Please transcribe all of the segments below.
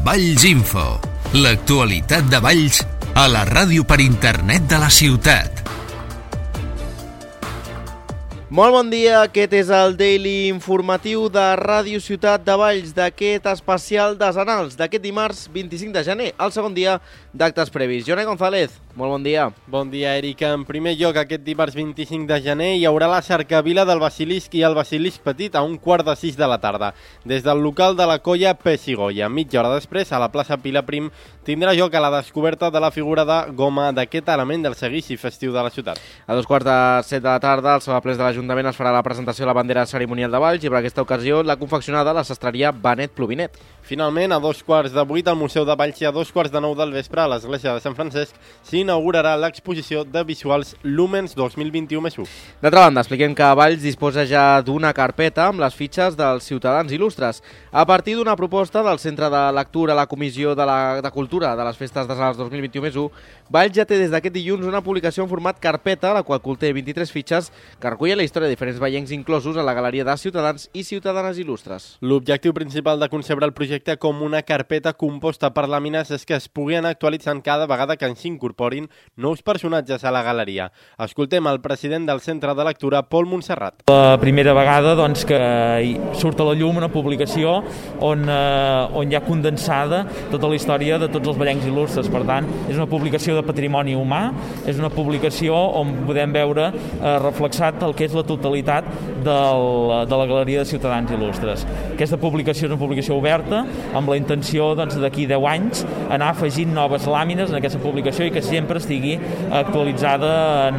Valls Info, l'actualitat de Valls a la ràdio per internet de la ciutat. Molt bon dia, aquest és el Daily Informatiu de Ràdio Ciutat de Valls d'aquest especial desenals d'aquest dimarts 25 de gener, el segon dia d'actes previs. Jonai González, molt bon dia. Bon dia, Eric. En primer lloc, aquest dimarts 25 de gener hi haurà la cercavila del Basilisc i el Basilisc Petit a 5:45 de la tarda. Des del local de la colla Pessigoia. Mitja hora després, a la plaça Pilar Prim, tindrà lloc a la descoberta de la figura de goma d'aquest element del seguici festiu de la ciutat. A 2:45 de la tarda, al Saló Plens de l'Ajuntament es farà la presentació de la bandera cerimonial de Valls i per aquesta ocasió la confeccionada la sastreria Benet Plovinet. Finalment, a 7:15 al Museu de Valls i a 9:15 del vespre a l'Església de Sant Francesc s'inaugurarà l'exposició de visuals Lumens 2021+1. D'altra banda, expliquem que Valls disposa ja d'una carpeta amb les fitxes dels ciutadans il·lustres. A partir d'una proposta del Centre de Lectura a la Comissió de Cultura de les Festes Desenals 2021+1, Valls ja té des d'aquest dilluns una publicació en format carpeta, la qual conté 23 fitxes que recullen la història de diferents veiencs inclosos a la galeria de ciutadans i ciutadanes il·lustres. L'objectiu principal de concebre el projecte com una carpeta composta per làmines és que es pugui anar actualitzant cada vegada que s'incorporin nous personatges a la galeria. Escoltem el president del Centre de Lectura, Pol Montserrat. La primera vegada que surt a la llum una publicació on hi ha condensada tota la història de tots els veiencs il·lustres. Per tant, és una publicació de patrimoni humà, és una publicació on podem veure reflexat el que és la totalitat de la galeria de ciutadans il·lustres. Aquesta publicació és una publicació oberta, amb la intenció d'aquí 10 anys anar afegint noves làmines en aquesta publicació i que sempre estigui actualitzada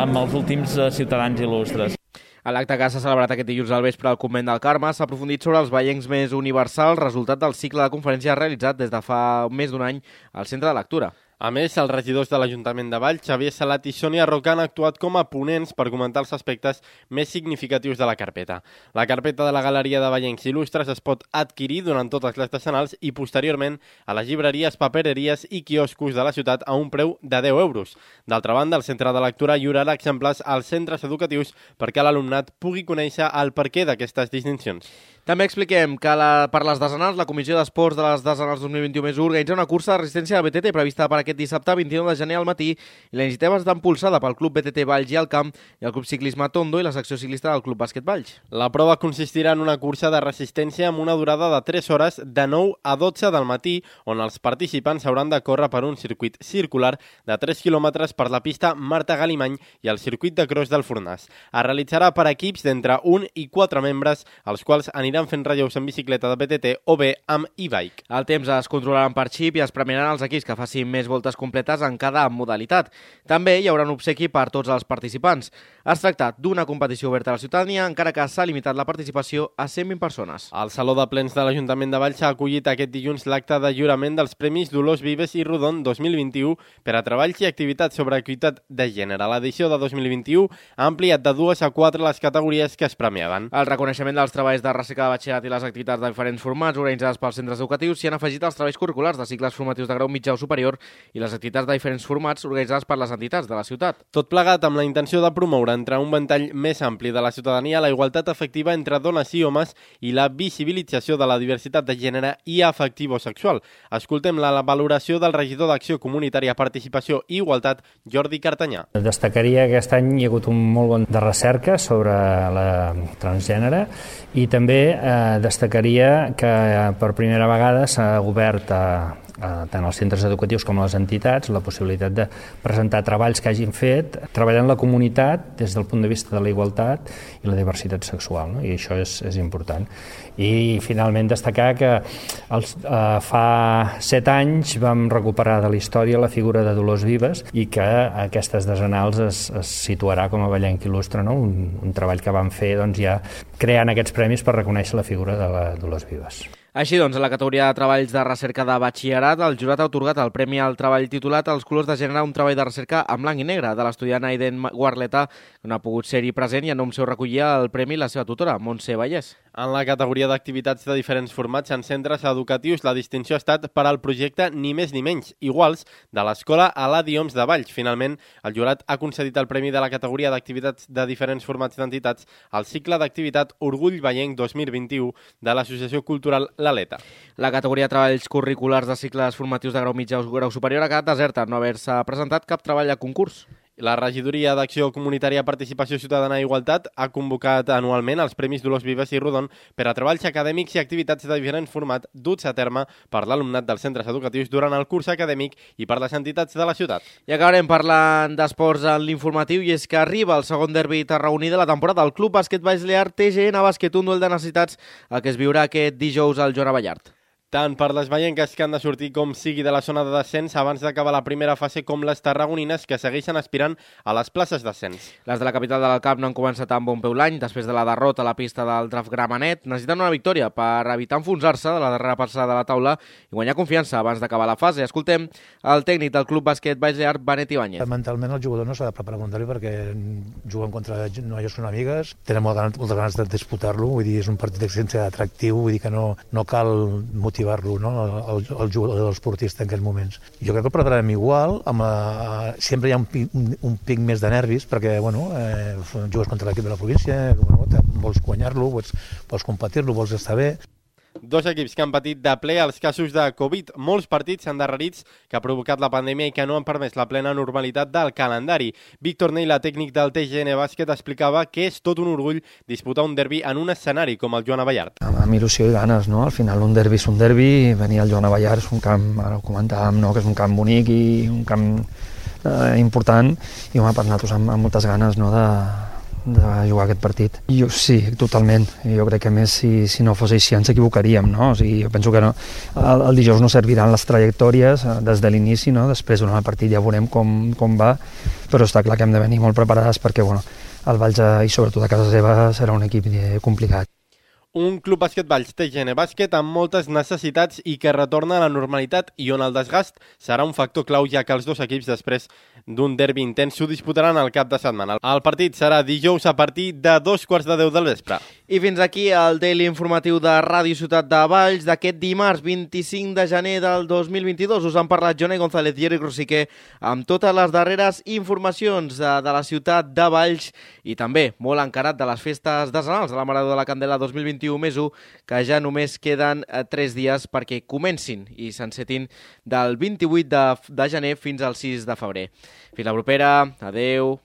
amb els últims ciutadans il·lustres. A l'acte que s'ha celebrat aquest dilluns al vespre al Convent del Carme s'ha aprofundit sobre els veiencs més universals, resultat del cicle de conferències realitzat des de fa més d'un any al Centre de Lectura. A més, els regidors de l'Ajuntament de Valls, Xavier Salat i Sònia Roca, han actuat com a ponents per comentar els aspectes més significatius de la carpeta. La carpeta de la Galeria de Veiencs Il·lustres es pot adquirir durant totes les decenals i posteriorment a les llibreries, papereries i quioscos de la ciutat a un preu de 10 euros. D'altra banda, el Centre de Lectura lliurarà exemplars als centres educatius perquè l'alumnat pugui conèixer el perquè d'aquestes distincions. També expliquem que per les desenals, la Comissió d'Esports de les Desenals 2021+1 organitza una cursa de resistència del BTT prevista per aquest dissabte 29 de gener al matí i la iniciativa està impulsada pel Club BTT Valls i al Camp i el Club Ciclisme Tondo i la secció ciclista del Club Bàsquet Valls. La prova consistirà en una cursa de resistència amb una durada de 3 hores de 9 a 12 del matí on els participants hauran de córrer per un circuit circular de 3 quilòmetres per la pista Marta Galimany i el circuit de cross del Fornàs. Es realitzarà per equips d'entre 1 i 4 membres, els quals aniran fent relleus en bicicleta de BTT o bé amb e-bike. El temps es controlaran per xip i es premiaran els equips que facin més voltes completes en cada modalitat. També hi haurà un obsequi per tots els participants. Es tracta d'una competició oberta a la ciutadania, encara que s'ha limitat la participació a 120 persones. El Saló de Plens de l'Ajuntament de Valls ha acollit aquest dilluns l'acte de lliurament dels Premis Dolors Vives i Rodon 2021 per a treballs i activitats sobre equitat de gènere. L'edició de 2021 ha ampliat de 2 a 4 les categories que es premiaven. El reconeixement dels treballs de recerca de batxillerat i les activitats de diferents formats organitzades pels centres educatius s'hi han afegit els treballs curriculars de cicles formatius de grau mitjà o superior i les activitats de diferents formats organitzades per les entitats de la ciutat. Tot plegat amb la intenció de promoure entre un ventall més ampli de la ciutadania la igualtat efectiva entre dones i homes i la visibilització de la diversitat de gènere i afectivo-sexual. Escoltem la valoració del regidor d'Acció Comunitària, Participació i Igualtat, Jordi Cartanyà. Destacaria que aquest any hi ha hagut un molt bon de recerca sobre la transgènere i també destacaria que per primera vegada s'ha obert tant als centres educatius com a les entitats la possibilitat de presentar treballs que hagin fet treballant la comunitat des del punt de vista de la igualtat i la diversitat sexual, no? I això és important. I finalment destacar que fa 7 anys vam recuperar de la història la figura de Dolors Vives i que aquestes desenals es situarà com a veienc il·lustre, no? Un treball que vam fer ja creant aquests premis per reconèixer la figura de la Dolors Vives. Així doncs, en la categoria de treballs de recerca de batxillerat, el jurat ha atorgat el Premi al Treball titulat Els colors de gènere, un treball de recerca en blanc i negre de l'estudiant Aiden Guarleta, que no ha pogut ser-hi present i en nom seu recollia el premi la seva tutora, Montse Vallès. En la categoria d'activitats de diferents formats en centres educatius, la distinció ha estat per al projecte Ni més ni menys, iguals, de l'Escola Eladi Homs de Valls. Finalment, el jurat ha concedit el premi de la categoria d'activitats de diferents formats d'entitats al cicle d'activitat Orgull Veienc 2021 de l'Associació Cultural l'Aleta. La categoria de treballs curriculars de cicles formatius de grau mitjà o grau superior ha quedat deserta, no haver-se presentat cap treball a concurs. La Regidoria d'Acció Comunitària, Participació Ciutadana i Igualtat ha convocat anualment els Premis Dolors Vives i Rodon per a treballs acadèmics i activitats de diferent format duts a terme per l'alumnat dels centres educatius durant el curs acadèmic i per les entitats de la ciutat. I acabarem parlant d'esports en l'informatiu, i és que arriba el segon derbi tarragoní de la temporada. El Club Bàsquet Baix-Lear TGN Bàsquet, un duel de necessitats el que es viurà aquest dijous al Joan Abellart. Tant per les veienques que han de sortir com sigui de la zona de descens abans d'acabar la primera fase com les tarragonines que segueixen aspirant a les places d'ascens. Les de la capital del Camp no han començat amb bon peu l'any. Després de la derrota a la pista del Draft Gramenet, necessiten una victòria per evitar enfonsar-se de la darrera passada de la taula i guanyar confiança abans d'acabar la fase. Escoltem el tècnic del Club Bàsquet Baix-Lear, Benet Ibáñez. Mentalment el jugador no s'ha de preparar un derbi perquè juguen contra noies són amigues, tenen moltes ganes de disputar-lo, vull dir, és un partit sense atractiu, vull dir que no cal motivar-lo, no? el jugador, l'esportista en aquests moments. Jo crec que el prepararem igual, sempre hi ha un pic més de nervis, perquè jugues contra l'equip de la província, vols guanyar-lo, vols competir-lo, vols estar bé. Dos equips que han patit de ple els casos de Covid, molts partits endarrerits que ha provocat la pandèmia i que no han permès la plena normalitat del calendari. Víctor Neila, tècnic del TGN Bàsquet, explicava que és tot un orgull disputar un derbi en un escenari com el Joan Abellart. Amb il·lusió i ganes, no? Al final un derbi és un derbi, venir al Joan Abellart és un camp, ara ho comentàvem, no? Que és un camp bonic i un camp important i per nosaltres amb moltes ganes, no? de jugar aquest partit. Jo sí, totalment. Jo crec que més si no fos així ens equivocaríem, no? O sigui, jo penso que no. El dijous no serviran les trajectòries des de l'inici, no? Després durant el partit ja veurem com va, però està clar que hem de venir molt preparades perquè el Valls i sobretot a casa seva serà un equip complicat. Un club bàsquet Valls TGN Bàsquet amb moltes necessitats i que retorna a la normalitat i on el desgast serà un factor clau, ja que els dos equips després d'un derbi intens s'ho disputaran al cap de setmana. El partit serà dijous a partir de 2:15 del vespre. I fins aquí el Daily Informatiu de Ràdio Ciutat de Valls d'aquest dimarts 25 de gener del 2022. Us han parlat Jonai González i Eric Rosiquer amb totes les darreres informacions de la ciutat de Valls i també molt encarat de les festes decenals de la Marató de la Candela 2021 més 1, que ja només queden 3 dies perquè comencin i s'encetin del 28 de gener fins al 6 de febrer. Fins la propera, adeu.